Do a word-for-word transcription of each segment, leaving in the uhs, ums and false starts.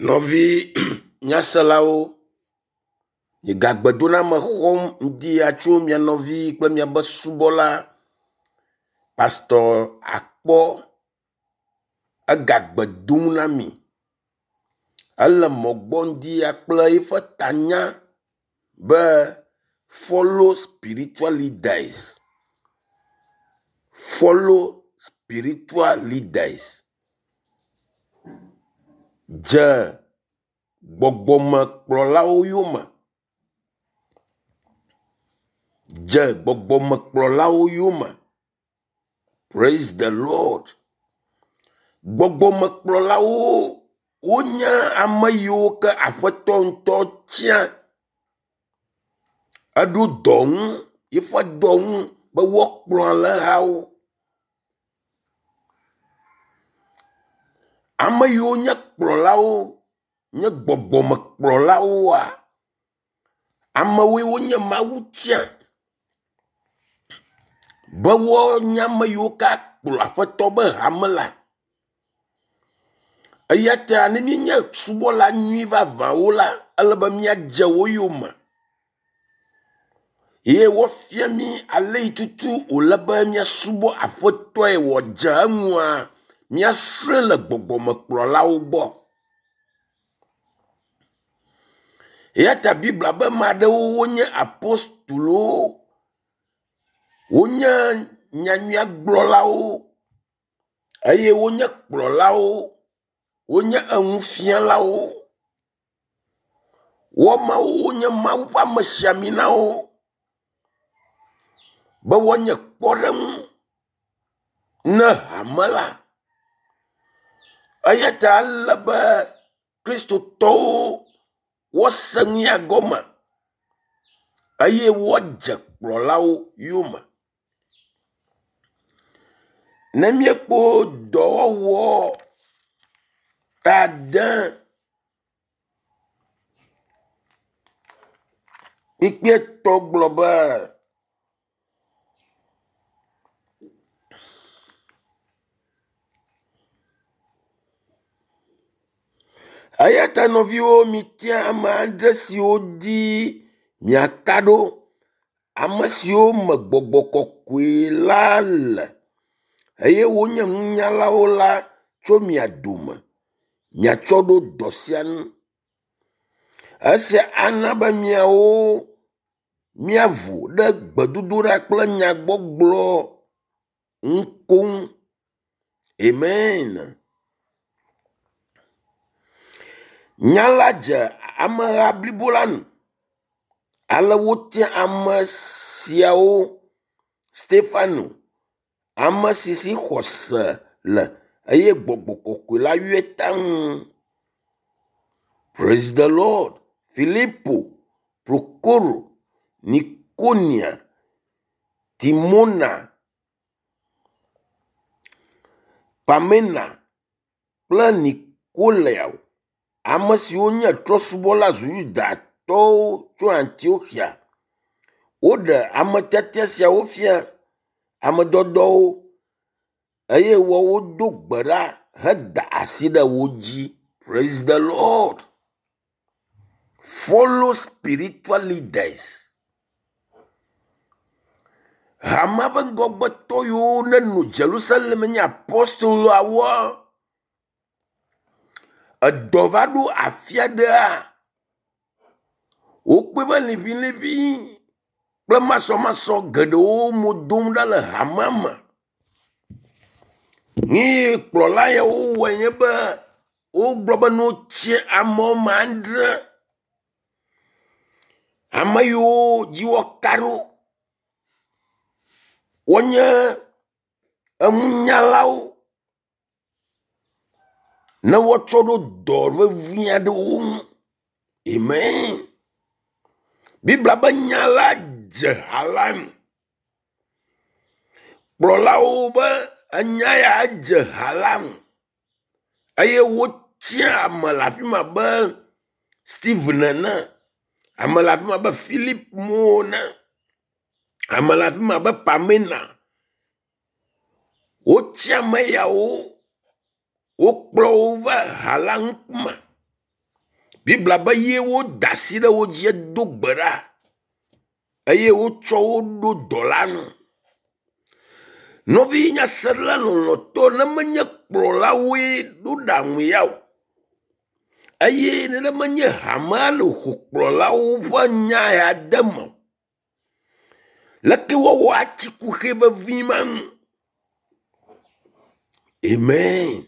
Nɔvi nyaselawo, migagbedoname xɔm ŋdi ya tso mia nɔvi kple miabe subɔla Pastor Akpɔ egagbe dom na mi. Ele mɔ gbɔ ŋdi ya kple eƒe tanya be follow spiritual leaders. Follow spiritual leaders. Dze gbɔgbɔmekplɔlawo yome. Dze gbɔgbɔmekplɔlawo yome. Praise the Lord. Gbɔgbɔmekplɔlawo wonye ame yiwo ke aƒetɔ ŋutɔ tia eɖo dɔ ŋu yiƒe dɔ ŋu be woakplɔ alẽhawo. Ame yiwo nye kplɔlawo nye gbɔgbɔmekplɔlawoa, amewoe wonye Mawu tia be woanye ame yiwo ke akplɔ aƒetɔ be hame la. Eya ta ne míenye subɔla nyui vavãwo la, ele be míadze wo yome ye woafia mí ale yi tutu wòle be míasubɔ aƒetɔe wòadze eŋua, míasrɔ̃e le gbɔgbɔmekplɔlawo gbɔ. Eya ta Biblia be ame aɖewo wonye apostolowo, wonye nyanyuiagblɔlawo eye wonye kplɔlawo, wonye enufialawo. Woamawo wonye Mawu ƒe amesiaminawo be woanye kpɔɖeŋu ne hame la. Eya ta ele be kristotɔwo woase nu ya gɔme eye woadze kplɔlawo yome. Ne míekpɔ dɔwɔwɔ ta ade kpukpuietɔ̃ gblɔ be eya ta nɔviwo mitia ame adre siwo dzi miaka ɖo. Ame siwo me gbɔgbɔ kɔkɔe la le eye wonye nunyalawo la tso mia dome miatsɔ ɖo dɔ sia nu. Esia ana be miawo míavo ɖe gbedodoɖa kple nyagbɔgblɔ ŋu koŋ. Amen. Nya la dze ameha blibo la nu. Ale wotia ame siawo Stefano, ame si si xɔse le eye gbɔgbɔ kɔkɔe la yɔe taŋ. Praise the Lord. Filipo, Prokoro, Nikonia, Timona, Pamena kple Nikolao, ame siwo nye trɔ̃subɔla zu Yudatɔwo tso Antioxia. Woɖe ametiatia siawo fia ame dɔdɔwo eye woawo do gbe ɖa heda asi ɖe wo dzi. Praise the Lord. Follow spiritual leaders. Hamea ƒe ŋgɔgbetɔ yiwo nenɔ Jerusalem nye apostoloawoa, edɔ va ɖo afi aɖea, wokpɔe be liʋiliʋi kple masɔmasɔ geɖewo mo dom ɖa le hamea me. Nu yi kplɔla yawo wɔe nye be wogblɔ be ne wotsia ame woame adre, ame yiwo dzi woaka ɖo wonye enunyalawo ne woatsɔ ɖo dɔ vevi aɖewo ŋu. Amen. Biblia be nya la dze ha la ŋu. Kplɔlawo be enya ya edze ha la ŋu eye wotia ame le afi ma be Steven ene, ame le afi ma be Philip mo ene, ame le afi ma be Pamina. Wotsi ame yawo, wokplɔ wo va ha la ŋkume. Biblia be ye woda asi ɖe wo dzi do gbe ɖa eye wotsɔ wo ɖo dɔ la nu. Nɔvi nyasela lɔlɔ̃tɔ ne menye kplɔlawoe ɖo ɖaŋu ya o eye ne menye hamea le ƒo kplɔlawo ƒe nya ya de me o. Leke woawɔ atsi kuxi vevi ma nu? Amen.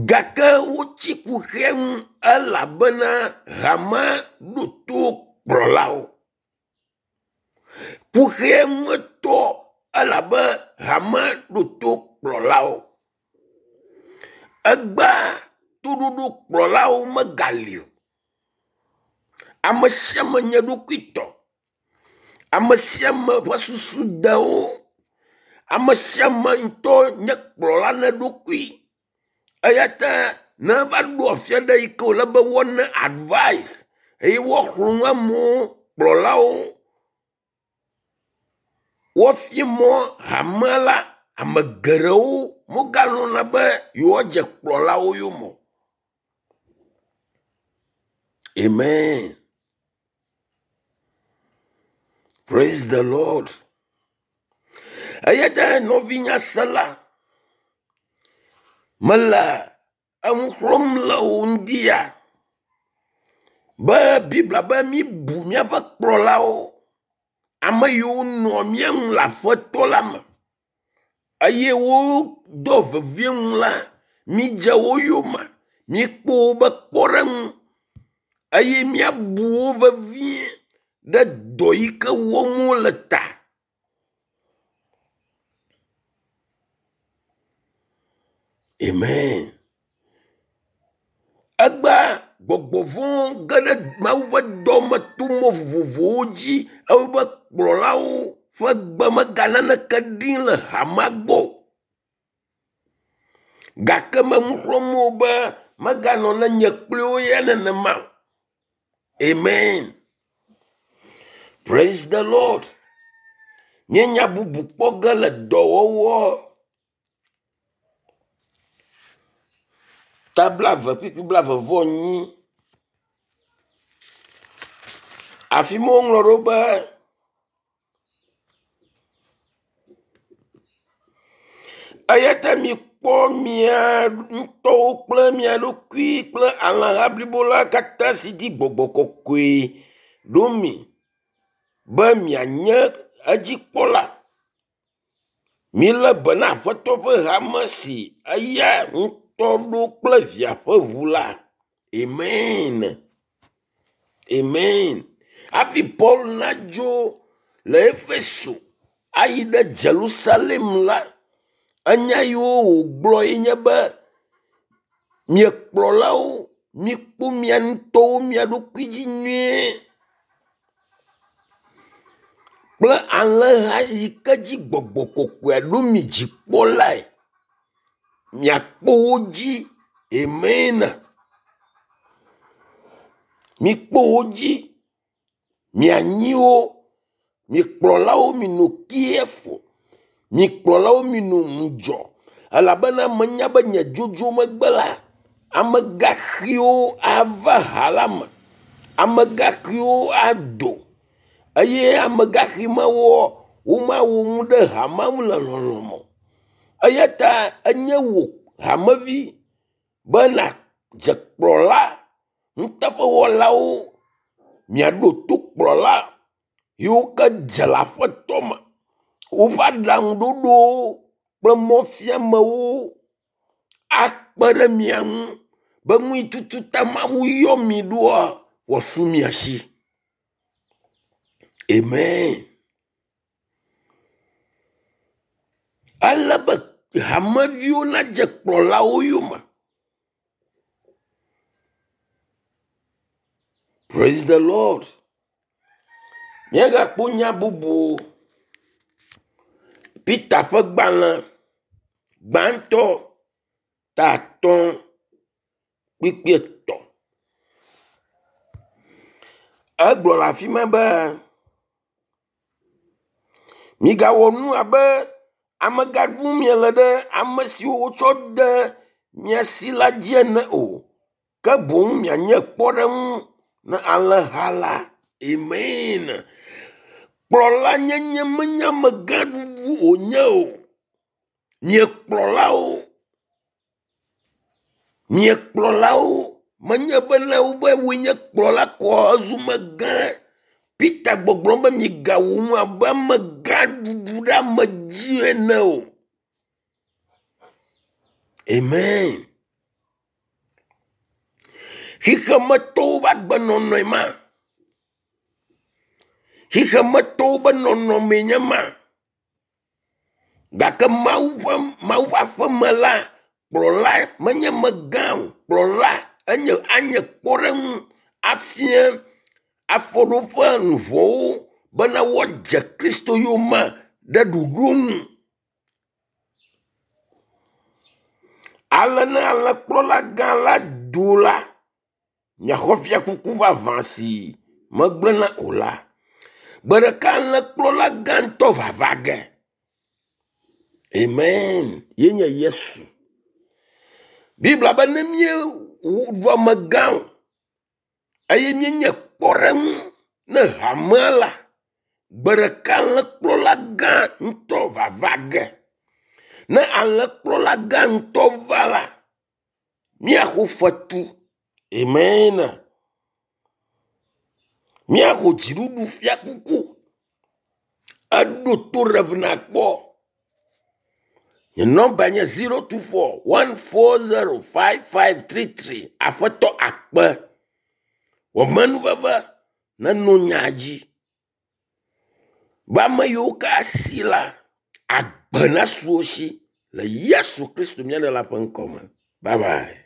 Gake wotsi kuxia nu elabena hamea ɖo to kplɔlawo. Kuxia ŋu elabe hamea ɖo to kplɔlawo. Egbea toɖoɖo kplɔlawo megali o. Ame sia ame nye eɖokuitɔ. Ame sia ame ƒe susu de wo. Ame sia ame ŋutɔ nye kplɔla na eɖokui. Eya ta ne eva ɖo afi aɖe yi ke wòle be woana advice eye woaxlɔ̃ nu amewo, kplɔlawo, woafia mɔ hamea la, ame geɖewo megalɔ̃na be yewoadze kplɔlawo yome o. Amen. Praise the Lord. Eya ta nɔvi nyasela, mele eŋu xlɔ̃m le wò ŋdi ya be Biblia be míbu míaƒe kplɔlawo, ame yiwo nɔa mía ŋu le aƒetɔ la me eye wodoa vevie nu la, mídze wo yome, míekpɔ wobe kpɔɖeŋu eye míabu wo vevie ɖe dɔ yi ke wɔm wole ta. Amen. Egbea gbɔgbɔ vɔ̃wo ge ɖe Mawu ƒe dɔ me to mɔ vovovowo dzi ewɔe be kplɔlawo ƒe gbe mega naneke ɖim le hamea gbɔ o. Gake menu xlɔ̃m wo be meganɔ ne nye kpli wo ya nenema o. Amen. Praise the Lord. Míenya bubu kpɔ ge le dɔwɔwɔ ta blaeve kpukpui blaeve vɔ enyi. Afi ma woŋlɔ ɖo be eya ta mikpɔ mia ŋutɔwo kple mia ɖokui kple alẽha blibo la katã si di gbɔgbɔ kɔkɔe ɖo mi be mianye edzikpɔla. Milé be na Aƒetɔ ƒe hame si eya ŋutɔ ɖo kple via ƒe ʋu la. Amen. Amen. Hafi Paul nadzo le Efeso ayi ɖe Jerusalem la, enya yiwo wògblɔ ye nye be mia kplɔlawo mikpɔ mia ŋutɔwo mia ɖokui dzi nyuie kple alẽha yi ke dzi gbɔgbɔ kɔkɔea ɖo mi dzikpɔlae. Miakpɔ wo dzi. Amen. Mikpɔ wo dzi. Mianyi wo. Mi kplɔlawo minɔ careful. Mi kplɔlawo minɔ ŋudzɔ elabena menya be nye dzodzo megbe la, amegaxiwo ava ha la me. Amegaxiwo ado eye amegaxi mawoa, womawɔ nu ɖe hamea ŋu le lɔlɔ̃ me o. Eya ta enye wò hamevi be nàdze kplɔla nuteƒewɔlawo miaɖo to kplɔla yiwo ke dze le aƒetɔ me. Woƒe aɖaŋuɖoɖowo kple mɔfiamewo akpe ɖe mia ŋu be nu yi tutu ta Mawu yɔ mi ɖoa wòasu mia si. Amen. Ele be hameviwo nadze kplɔlawo yome. Praise the Lord. Míagakpɔ nya bubu. Peter ƒe gbalẽ gbãtɔ ta atɔ̃ kpukpui etɔ̃. Egblɔ le afi ma be migawɔ nu abe amegã ɖum miele ɖe ame siwo wotsɔ de mia si la dzi ene o. Ke boŋ mianye kpɔɖeŋu na alẽha la. Amen. Kplɔla nyenye menye amegãɖuɖu wònye o. Miekplɔlawo, miekplɔlawo menye be ne wobe woe nye kplɔla koa ezu megã. Peter gbɔgblɔm be migawu nu abe amegãɖuɖu ɖe ame dzi ene o. Amen. Xixemetɔwo ƒe agbenɔnɔe ma. Xixemetɔwo ƒe nɔnɔmee nye ma. Gake Mawu ƒe Mawu ƒe aƒeme la, kplɔla menye megã o. Kplɔla enye anye kpɔɖeŋu afia afɔɖoƒe luʋɔwo bena woadze Kristo yome ɖe ɖoɖo nu. Ale ne alẽkplɔla gã la do la, miaxɔ fiakuku vavã si megblẽna o la. Gbe ɖeka alẽkplɔla gã ŋutɔ vava ge. Amen. Ye nye Yesu. Biblia be ne míeɖu amegã o eye míenye kpɔɖeŋu ne hamea la, gbe ɖeka alẽkplɔla gã ŋutɔ vava ge. Ne alẽkplɔla gã ŋutɔ va la, míaxɔ fetu. Amen. Míaxɔ dziɖuɖu fiakuku. Eɖo to Rev nakpɔ. Nye nɔmba nye zero two four one four zero five five three three. Aƒetɔ akpe. Wɔmenuveve neno nya dzi. Be ame yiwo ke asi la, agbe nasu wo si le Yesu Kristo mía Ɖela ƒe ŋkɔ me. Bye bye.